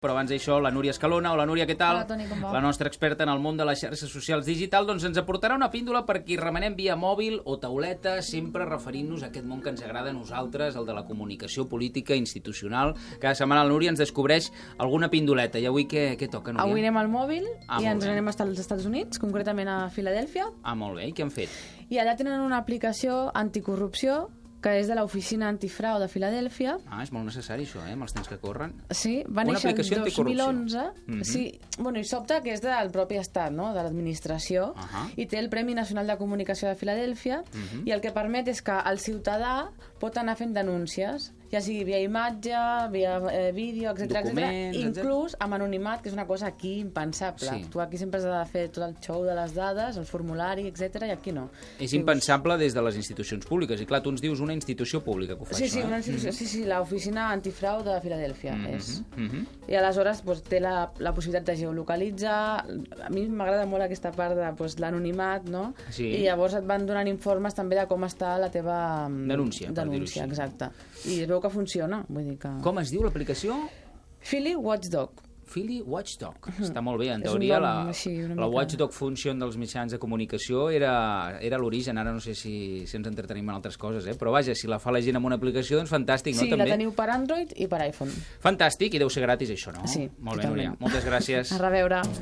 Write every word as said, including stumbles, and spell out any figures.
Però abans d'això, la Núria Escalona. Hola, Núria, què tal? Hola, Toni, com va? La nostra experta en el món de les xarxes socials digital, doncs ens aportarà una píndola per qui remenem via mòbil o tauleta, sempre referint-nos a aquest món que ens agrada a nosaltres, el de la comunicació política institucional. Cada setmana la Núria ens descobreix alguna pindoleta. I avui què, què toca, Núria? Avui anem al mòbil Ah, i molt ens bé. anem als Estats Units, concretament a Filadèlfia, Ah, molt bé. I què han fet? i allà tenen una aplicació anticorrupció que és de l'Oficina Antifrau de Filadèlfia. Ah, és molt necessari això, eh, amb els temps que corren. Sí, va Una néixer el aplicació dos mil onze. anticorrupció. Mhm. Sí, bueno, i sobta que és del propi estat, no?, de l'administració, Ahà. i té el Premi Nacional de Comunicació de Filadèlfia, Mhm. i el que permet és que el ciutadà pot anar fent denúncies, ja sigui via imatge, via eh, vídeo, etcètera, etcètera, Documents, inclús amb anonimat, que és una cosa aquí impensable. Sí. Tu aquí sempre has de fer tot el show de les dades, el formulari, etcètera, i aquí no. És Dius- impensable des de les institucions públiques. I clar, tu ens dius una institució pública que ho fa Sí, això, sí, eh? una institució, sí, sí, l'Oficina Antifrau de Filadèlfia Mhm, és. mhm. I aleshores doncs, té la, la possibilitat de geolocalitzar. A mi m'agrada molt aquesta part de doncs, l'anonimat, no? Sí. I llavors et van donant informes també de com està la teva mm, Denúncia, per dir-ho denúncia, així. exacte. I es veu que funciona, vull dir que... Com es diu l'aplicació? Philly Watchdog. Philly Watchdog. Està molt bé. En És un teoria, nom la, així, una la mica- Watchdog Function dels mitjans de comunicació era, era l'origen. Ara no sé si, si ens entretenim en altres coses, eh? Però vaja, si la fa la gent amb una aplicació, doncs fantàstic, Sí, no? la També. teniu per Android i per iPhone. Fantàstic, i deu ser gratis això, no? Sí, Molt bé, totalment. Núria. Moltes gràcies. A reveure.